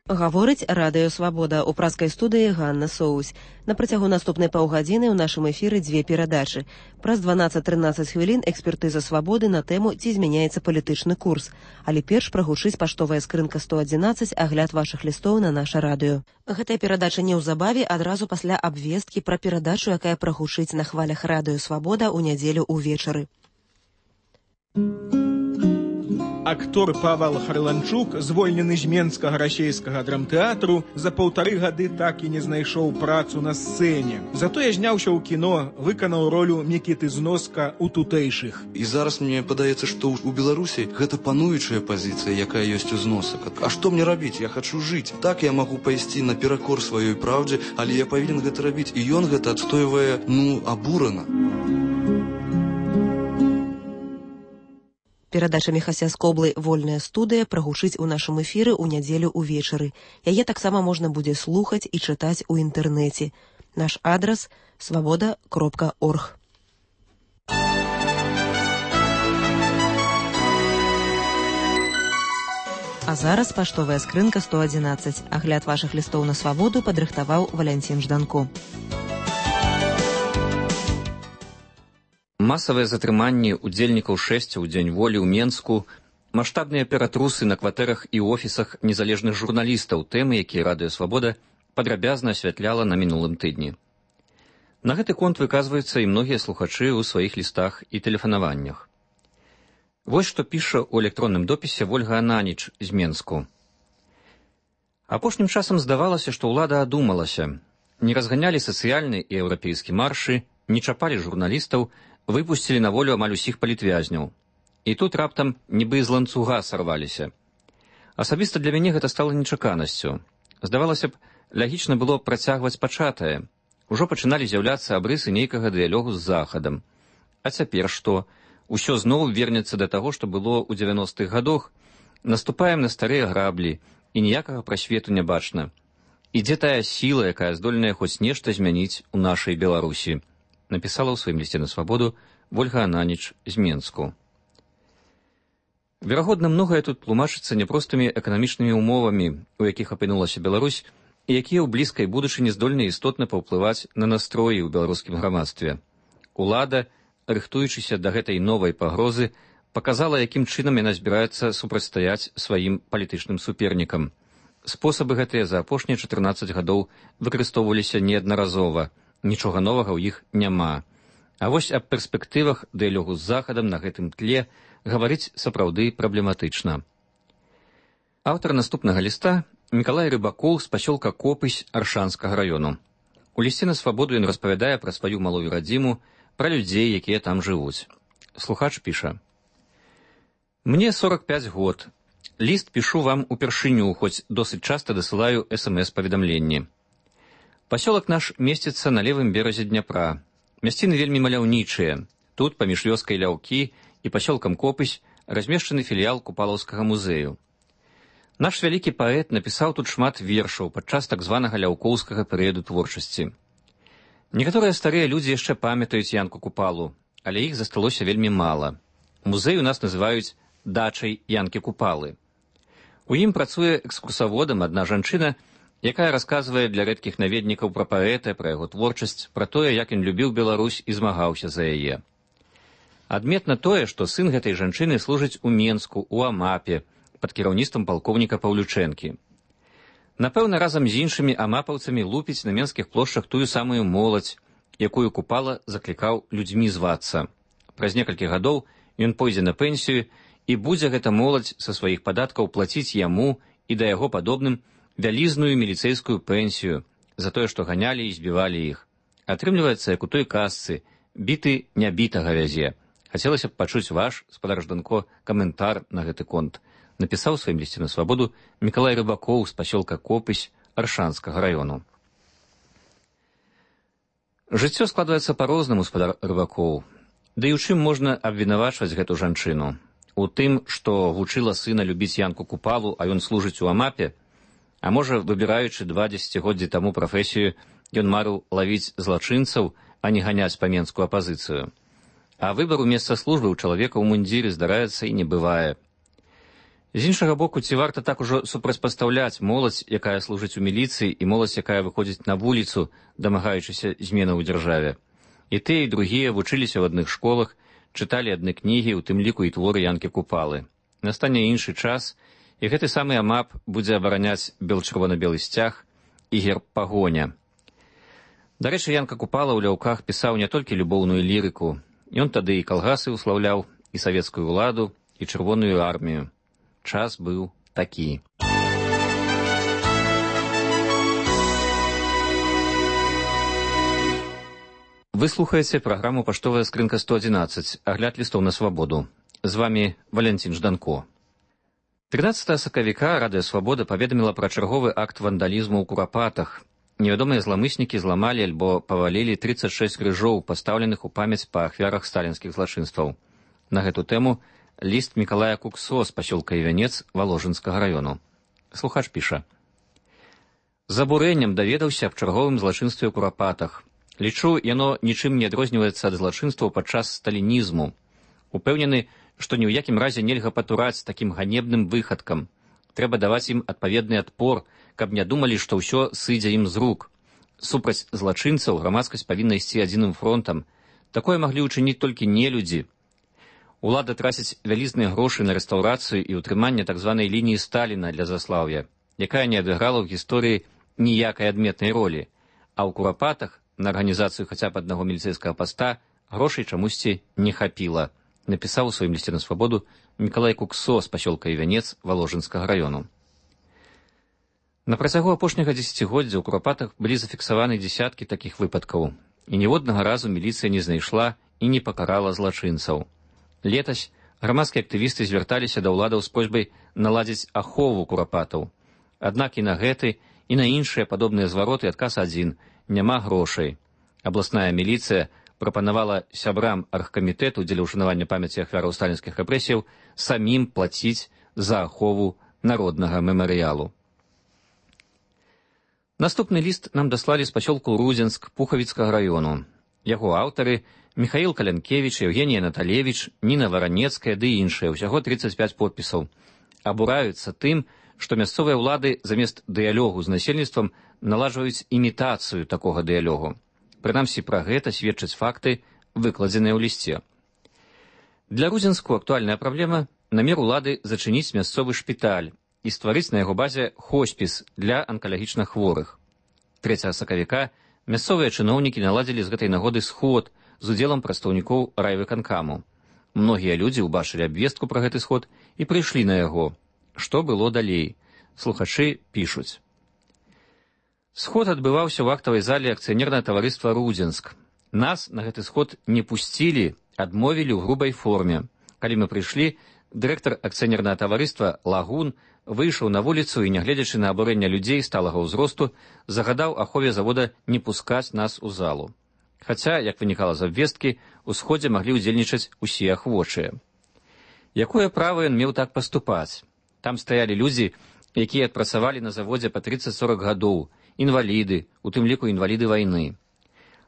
Гаворыць Радыё Свабода. У праскай студыі Ганна Соусь. На працягу наступнай паўгадзіны ў нашым эфіры дзве перадачы. Праз 12-13 хвілін экспертыза Свабоды на тэму «Ці змяняецца палітычны курс». Але перш прагучыць паштовая скрынка 111, агляд вашых лістоў на наша радыё. Гэтая перадача неўзабаве, адразу пасля абвесткі пра перадачу, якая прагучыць на хвалях Радыё Свабода ў нядзелю ўвечары. Актор Павел Харланчук, звольнены з Менскага расейскага драмтэатру, за 1,5 гады так і не знайшоў працу на сцэне. Затое зняўся ў кіно, выканаў ролю Мікіты Зноска ў тутэйшых. І зараз мне падаецца, што ў Беларусі гэта пануючая пазіцыя, якая ёсць у Зносак. А што мне рабіць? Я хачу жыць. Так я магу пайсці наперакор сваёй праўдзе, але я павінен гэта рабіць. І ён гэта адстойвае, абурана. Перадача Міхася Скоблы «Вольная студыя» прагучыць у нашым эфіры ў нядзелю ўвечары. Яе таксама можна будзе слухаць і чытаць у інтэрнэце. Наш адрас – svoboda.org. А зараз паштовая скрынка 111. Агляд вашых лістоў на Свабоду падрыхтаваў Валянцін Жданко. Масавыя затрыманні удзельнікаў шэсця ў дзень волі ў Менску, маштабныя ператрусы на кватэрах і офісах незалежных журналістаў, тэмы, якія Радыё Свабода падрабязна асвятляла на мінулым тыдні. На гэты конт выказваюцца і многія слухачы ў сваіх лістах і тэлефанаваннях. Вось што піша ў электронным допісе Вольга Ананіч з Менску. Апошнім часам здавалася, што ўлада адумалася. Не разганялі сацыяльны і еўрапейскі маршы, не чапалі журналістаў, выпусцілі на волю амаль усіх палітвязняў. І тут раптам нібы з ланцуга сарваліся. Асабіста для мяне гэта стала нечаканасцю. Здавалася б, лагічна было працягваць пачатае. Ужо пачыналі з'яўляцца абрысы нейкага дыялогу з Захадам. А цяпер што? Усё зноў вернецца да таго, што было ў 90-х гадах. Наступаем на старыя граблі, і ніякага прасвету не бачна. І дзе тая сіла, якая здольная хоць нешта змяніць у нашай Беларусі? Напісала ў сваім лісце на Свабоду Вольга Ананіч з Менску. Верагодна, многае тут тлумачыцца няпростымі эканамічнымі ўмовамі, у якіх апынулася Беларусь, і якія ў блізкай будучыні здольны істотна паўплываць на настроі ў беларускім грамадстве. Улада, рыхтуючыся да гэтай новай пагрозы, паказала, якім чынам яна збіраецца супрацьстаяць сваім палітычным супернікам. Спосабы гэтыя за апошнія 14 гадоў выкарыстоўваліся неаднаразова. Нічога новага ў іх няма. А вось аб перспектывах дыялогу з Захадам на гэтым тле гаварыць сапраўды праблематычна. Аўтар наступнага ліста Мікалай Рыбакоў з пасёлка Копысь Аршанскага раёну. У лісце на Свабоду ён распавядае пра сваю малую радзіму, пра людзей, якія там жывуць. Слухач піша. Мне 45 год. Ліст пішу вам упершыню, хоць досыць часта дасылаю СМС-паведамленні. Пасёлак наш месціцца на левым беразе Дняпра. Мясціны вельмі маляўнічыя. Тут, паміж вёскай Ляўкі і пасёлкам Копысь, размешчаны філіял Купалаўскага музею. Наш вялікі паэт напісаў тут шмат вершаў падчас так званага ляўкоўскага перыяду творчасці. Некаторыя старыя людзі яшчэ памятаюць Янку Купалу, але іх засталося вельмі мала. Музей у нас называюць дачай Янкі Купалы. У ім працуе экскурсаводам адна жанчына, якая расказвае для рэдкіх наведнікаў пра паэта, пра яго творчасць, пра тое, як ён любіў Беларусь і змагаўся за яе. Адметна тое, што сын гэтай жанчыны служыць у Менску, у Амапе, пад кіраўніцтвам палкоўніка Паўлючэнкі. Напэўна, разам з іншымі амапаўцамі лупіць на менскіх плошчах тую самую моладзь, якую Купала заклікаў людзьмі звацца. Праз некалькі гадоў ён пойдзе на пенсію, і будзе гэта моладзь са сваіх падаткаў плаціць яму і да яго падобным вялізную міліцэйскую пенсію за тое, што ганялі і збівалі іх. Атрымліваецца, як у той казцы, біты нябітага вязе. Хацелася б пачуць ваш, спадар Жданко, каментар на гэты конт. Напісаў у сваім лісце на Свабоду Мікалай Рыбакоў з пасёлка Копысь Аршанскага раёну. Жыццё складваецца па-рознаму, спадар Рыбакоў. Ды і ў чым можна абвінавачваць гэту жанчыну? У тым, што вучыла сына любіць Янку Купалу, а ён служыць у Амапе? А можа, выбіраючы 2 дзесяцігоддзі таму прафесію, ён марыў лавіць злачынцаў, а не ганяць па менскую апазіцыю. А выбару месца службы ў чалавека ў мундзіры здараецца і не бывае. З іншага боку, ці варта так ужо супрацьпастаўляць моладзь, якая служыць у міліцыі, і моладзь, якая выходзіць на вуліцу, дамагаючыся зменаў у дзяржаве. І тыя, і другія вучыліся ў адных школах, чыталі адны кнігі, у тым ліку і творы Янкі Купалы. Настане іншы час, і гэты самы АМАП будзе абараняць бел-чырвона-белы сцяг і герб пагоня. Дарэчы, Янка Купала ў ляўках пісаў не толькі любоўную лірыку. Ён тады і калгасы ўслаўляў, і савецкую ўладу, і чырвоную армію. Час быў такі. Вы слухаеце праграму «Паштовая скрынка 111», агляд лістоў на свабоду. З вамі Валянцін Жданко. 13 сакавіка Радыё Свабода паведаміла пра чарговы акт вандалізму ў Курапатах. Невядомыя зламыснікі зламалі альбо павалілі 36 крыжоў, пастаўленых у памяць па ахвярах сталінскіх злачынстваў. На гэту тэму ліст Мікалая Куксо з пасёлка Івянец Валожынскага раёну. Слухач піша. З абурэннем даведаўся аб чарговым злачынстве ў Курапатах. Лічу, яно нічым не адрозніваецца ад злачынстваў падчас сталінізму. Упэўнены, што ні ў якім разе нельга патураць такім ганебным выхадкам. Трэба даваць ім адпаведны адпор, каб не думалі, што ўсё сыдзе ім з рук. Супраць злачынцаў грамадскасць павінна ісці адзіным фронтам. Такое маглі ўчыніць толькі нелюдзі. Улада траціць вялізныя грошы на рэстаўрацыю і ўтрыманне так званай лініі Сталіна для заслаўя, якая не адыграла ў гісторыі ніякай адметнай ролі, а ў Курапатах на арганізацыю хаця б аднаго міліцэйскага паста грошай чамусьці не хапіла, напісаў у сваім лісце на свабоду Мікалай Куксо з пасёлка Івянец Валожынскага раёну. На працягу апошняга дзесяцігоддзя ў Курапатах былі зафіксаваны дзесяткі такіх выпадкаў, і ніводнага разу міліцыя не знайшла і не пакарала злачынцаў. Летась грамадскія актывісты звярталіся да ўладаў з просьбай наладзіць ахову Курапатаў. Аднак і на гэты, і на іншыя падобныя звароты адказ адзін – няма грошай. Абласная міліцыя прапанавала сябрам аргкамітэту дзеля ўшанавання памяці ахвяраў сталінскіх рэпрэсіяў самім плаціць за ахову народнага мемарыялу. Наступны ліст нам даслалі з пасёлку Рудзенск Пухавіцкага раёну. Яго аўтары Міхаіл Калянкевіч, Евгенія Наталевіч, Ніна Варанецкая ды іншыя, усяго 35 подпісаў. Абураюцца тым, што мясцовыя ўлады замест дыялогу з насельніцтвам наладжваюць імітацыю такога дыялогу. Прынамсі, пра гэта сведчаць факты, выкладзеныя ў лісце. Для Рудзенску актуальная праблема – намер улады зачыніць мясцовы шпіталь і стварыць на яго базе хоспіс для анкалагічна хворых. 3 сакавіка мясцовыя чыноўнікі наладзілі з гэтай нагоды сход з удзелам прадстаўнікоў райвыканкаму. Многія людзі ўбачылі абвестку пра гэты сход і прыйшлі на яго. Што было далей? Слухачы пішуць. Сход адбываўся ў актавай зале акцыянернага таварыства «Рудзенск». Нас на гэты сход не пусцілі, адмовілі ў грубай форме. Калі мы прыйшлі, дырэктар акцыянернага таварыства Лагун выйшаў на вуліцу і, нягледзячы на абурэнне людзей сталага ўзросту, загадаў ахове завода не пускаць нас у залу. Хаця, як вынікала з абвесткі, у сходзе маглі ўдзельнічаць усе ахвочыя. Якое права ён меў так паступаць? Там стаялі людзі, якія адпрацавалі на заводзе па 30-40 гадоў, інваліды, у тым ліку інваліды вайны.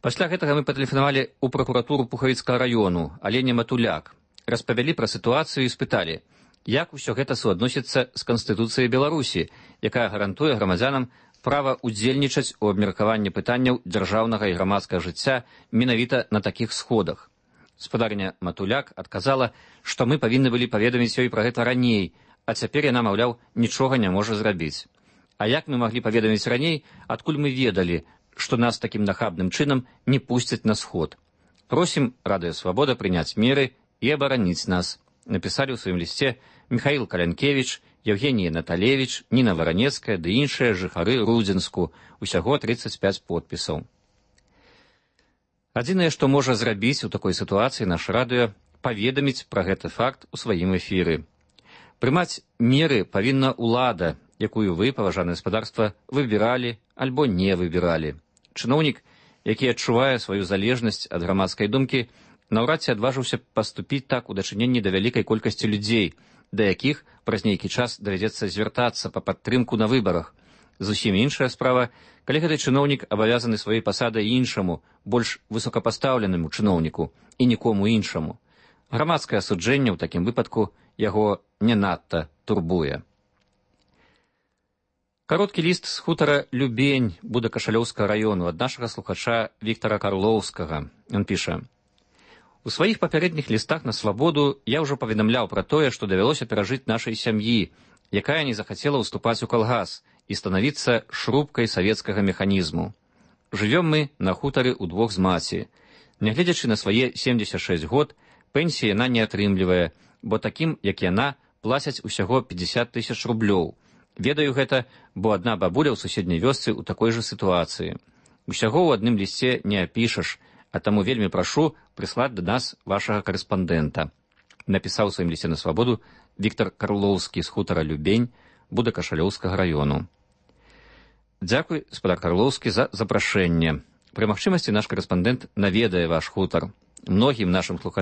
Пасля гэтага мы патэлефанавалі ў пракуратуру Пухавіцкага раёну, Алене Матуляк, распавялі пра сітуацыю і спыталі, як усё гэта суадносіцца з Канстытуцыяй Беларусі, якая гарантуе грамадзянам права ўдзельнічаць у абмеркаванні пытанняў дзяржаўнага і грамадскага жыцця менавіта на такіх сходах. Спадарня Матуляк адказала, што мы павінны былі паведаміць ёй пра гэта раней, а цяпер яна, маўляў, нічога не можа зрабіць. А як мы маглі паведаміць раней, адкуль мы ведалі, што нас такім нахабным чынам не пусцяць на сход? Просім Радыё Свабода прыняць меры і абараніць нас, напісалі ў сваім лісце Міхаіл Калянкевіч, Евгенія Наталевіч, Ніна Варанецкая ды іншыя жыхары Рудзенску, усяго 35 подпісаў. Адзінае, што можа зрабіць у такой сітуацыі наш радыё, паведаміць пра гэты факт у сваім эфіры. Прымаць меры павінна ўлада, якую вы, паважанае гаспадарства, выбіралі альбо не выбіралі. Чыноўнік, які адчувае сваю залежнасць ад грамадскай думкі, наўрад ці адважыўся паступіць так у дачыненні да вялікай колькасці людзей, да якіх праз нейкі час давядзецца звяртацца па падтрымку на выбарах. Зусім іншая справа, калі гэты чыноўнік абавязаны сваёй пасадай іншаму, больш высокапастаўленаму чыноўніку і нікому іншаму. Грамадскае асуджэнне ў такім выпадку яго не надта турбуе. Кароткі ліст з хутара Любень Будакашалёўскага раёну ад нашага слухача Віктара Карлоўскага. Ён піша: «У сваіх папярэдніх лістах на свабоду я ўжо паведамляў пра тое, што давялося перажыць нашай сям'і, якая не захацела ўступаць у калгас і станавіцца шрубкай савецкага механізму. Жывём мы на хутары ўдвох з маці. Нягледзячы на свае 76 год, пенсіі яна не атрымлівае, бо такім, як яна, плацяць усяго 50 000 рублёў. Ведаю гэта, бо адна бабуля ў суседняй вёсцы ў такой жа сітуацыі. Усяго ў адным лісце не апішаш, а таму вельмі прашу прыслаць да нас вашага карэспандэнта», напісаў у сваім лісце на свабоду Віктар Карлоўскі з хутара Любень Будакашалёўскага раёну. Дзякуй, спадар Карлоўскі, за запрашэнне. Пры магчымасці наш карэспандэнт наведае ваш хутар. Многім нашым слухачам